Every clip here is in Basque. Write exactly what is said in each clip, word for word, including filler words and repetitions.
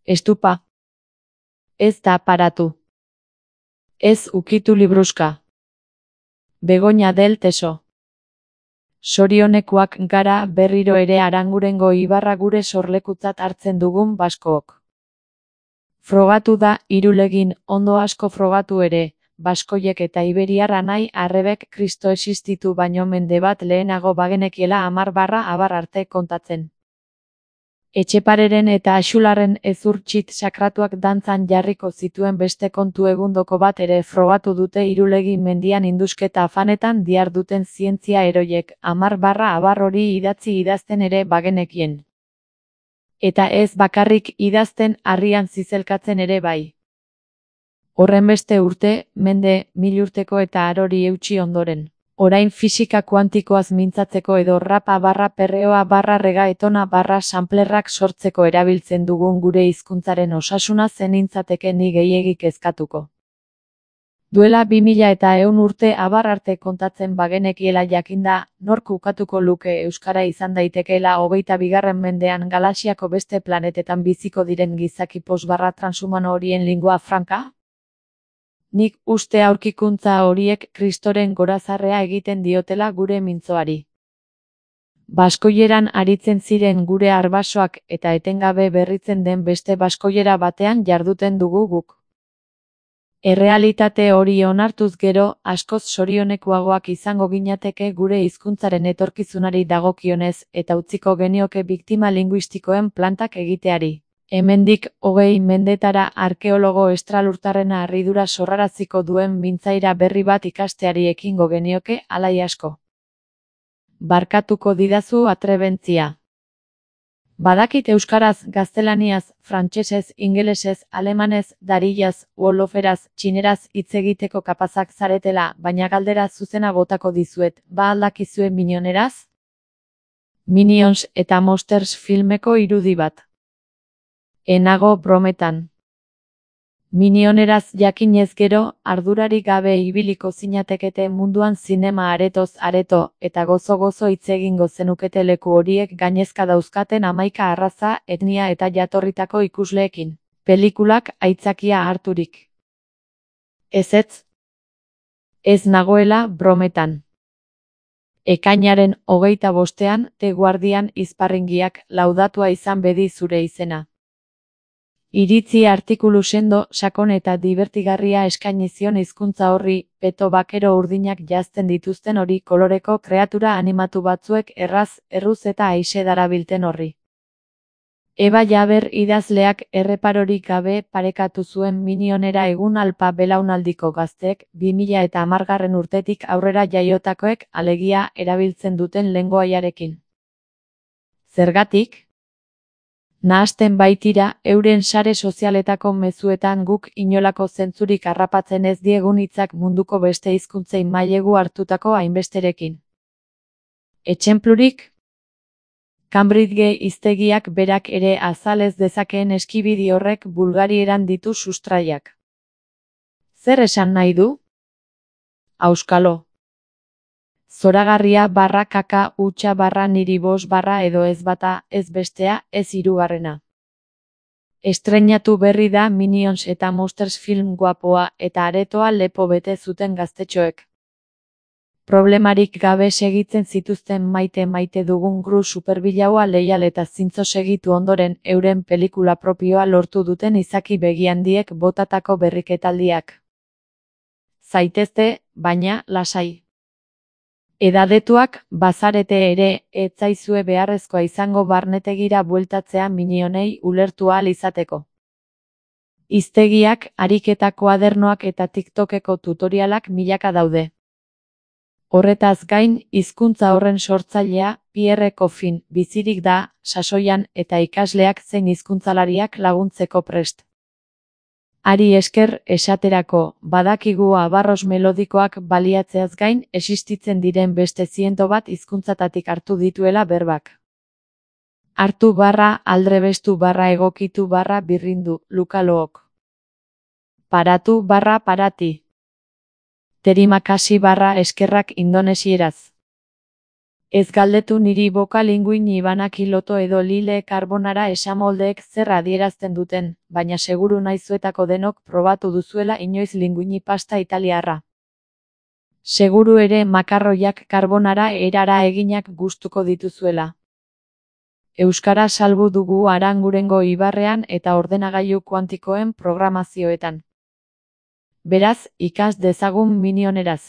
Estupa. Ez da paratu. Ez ukitu libruska. Begoña del Teso. Sorionekoak gara berriro ere Arangurengo ibarra gure sorlekutzat hartzen dugun baskook. Frogatu da Irulegin, ondo asko frogatu ere, baskoiek eta iberiar anai arrebek Kristo existitu baino mende bat lehenago bagenekiela hamar barra abar arte kontatzen. Etxepareren eta Axularren ezurtxit sakratuak dantzan jarriko zituen beste kontu egundoko bat ere frogatu dute Irulegi mendian indusketa afanetan diarduten zientzia eroiek, hamar barra abar hori idatzi idazten ere bagenekien. Eta ez bakarrik idazten, harrian zizelkatzen ere bai. Horrenbeste urte, mende, milurteko eta arori eutsi ondoren. Orain fisika kuantikoaz mintzatzeko edo rapa barra perreoa barra regaetona barra samplerrak sortzeko erabiltzen dugun gure hizkuntzaren osasuna zenintzateke ni gehiegik kezkatuko. Duela bi mila eta ehun urte abar arte kontatzen bagenekiela jakinda, nork ukatuko luke euskara izan daitekeela hogeita bigarren mendean galaxiako beste planetetan biziko diren gizaki posbarra transhumano horien lingua franca? Nik uste aurkikuntza horiek Kristoren gorazarrea egiten diotela gure mintzoari. Baskoieran aritzen ziren gure arbasoak eta etengabe berritzen den beste baskoiera batean jarduten dugu guk. Errealitate hori onartuz gero, askoz sorionekoagoak izango ginateke gure hizkuntzaren etorkizunari dagokionez eta utziko genioke biktima linguistikoen plantak egiteari. Hemendik hogei mendetara arkeologo estralurtarrena harridura sorraraziko duen mintzaira berri bat ikasteari ekingo genioke alai asko. Barkatuko didazu atrebentzia. Badakit euskaraz, gaztelaniaz, frantsesez, ingelesez, alemanez, darillaz, woloferaz, txineraz hitz egiteko kapazak zaretela, baina galdera zuzena botako dizuet, ba aldakizue minioneraz? Minions eta Monsters filmeko irudi bat. Enago brometan. Minioneraz jakinez gero, ardurarik gabe ibiliko zinatekete munduan zinema aretoz areto, eta gozo-gozo hitz egingo zenukete leku horiek gainezka dauzkaten hamaika arraza, etnia eta jatorritako ikusleekin. Pelikulak aitzakia harturik. Ezetz? Ez nagoela brometan. Ekainaren hogeita bostean, The Guardian izparringiak laudatua izan bedi zure izena. Iritzi artikulu sendo, sakon eta dibertigarria eskaini zion hizkuntza horri, peto bakero urdinak jazten dituzten hori koloreko kreatura animatu batzuek erraz, erruz eta aixe darabilten horri. Eba Jaber idazleak erreparorik gabe parekatu zuen Minionera egun alpa belaunaldiko gazteek, bi mila eta hamargarren urtetik aurrera jaiotakoek alegia erabiltzen duten lengoaiarekin. Zergatik? Nahasten baitira, euren sare sozialetako mezuetan guk inolako zentzurik harrapatzen ez diegun hitzak munduko beste hizkuntzei mailegu hartutako hainbesterekin. Etxenplurik? Cambridge hiztegiak berak ere azal ez dezakeen eskibidi horrek bulgarieran ditu sustraiak. Zer esan nahi du? Auskalo. Zoragarria barra kaka hutsa barra niri bos barra edo ez bata, ez bestea, ez hirugarrena. Estreinatu berri da Minions eta Monsters film guapoa eta aretoa lepo bete zuten gaztetxoek. Problemarik gabe segitzen zituzten maite maite dugun gru superbilaua leial eta zintzo segitu ondoren euren pelikula propioa lortu duten izaki begiandiek botatako berriketaldiak. Zaitezte, baina lasai. Edadetuak, bazarete ere, ez zaizue beharrezkoa izango barnetegira bueltatzea Minionei ulertu ahal izateko. Hiztegiak, ariketa koadernoak eta TikTokeko tutorialak milaka daude. Horretaz gain, hizkuntza horren sortzailea, Pierre Coffin, bizirik da, sasoian, eta ikasleak zein hizkuntzalariak laguntzeko prest. Ari esker, esaterako, badakigu abarros melodikoak baliatzeaz gain, existitzen diren beste ziento bat hizkuntzatatik hartu dituela berbak. Hartu barra, aldrebestu barra egokitu barra birrindu, lukalook. Paratu barra parati. Terimakasi barra eskerrak indonesieraz. Ez galdetu niri boka linguini banaki loto edo lile karbonara esamoldeek zer adierazten duten, baina seguru naizuetako denok probatu duzuela inoiz linguini pasta italiarra. Seguru ere makarroiak karbonara erara eginak gustuko dituzuela. Euskara salbu dugu Arangurengo ibarrean eta ordenagailu kuantikoen programazioetan. Beraz, ikas dezagun minioneraz.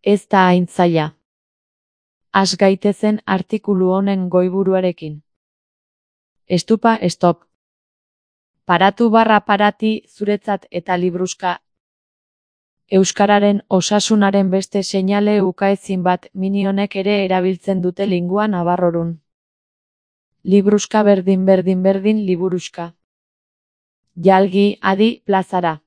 Ez da hain zaila. Has gaitezen artikulu honen goiburuarekin. Estupa stop. Paratu barra parati zuretzat eta libruska. Euskararen osasunaren beste seinale ukaezin bat minionek ere erabiltzen dute lingua nabarrorun. Libruska berdin berdin berdin liburuska. Jalgi, adi, plazara.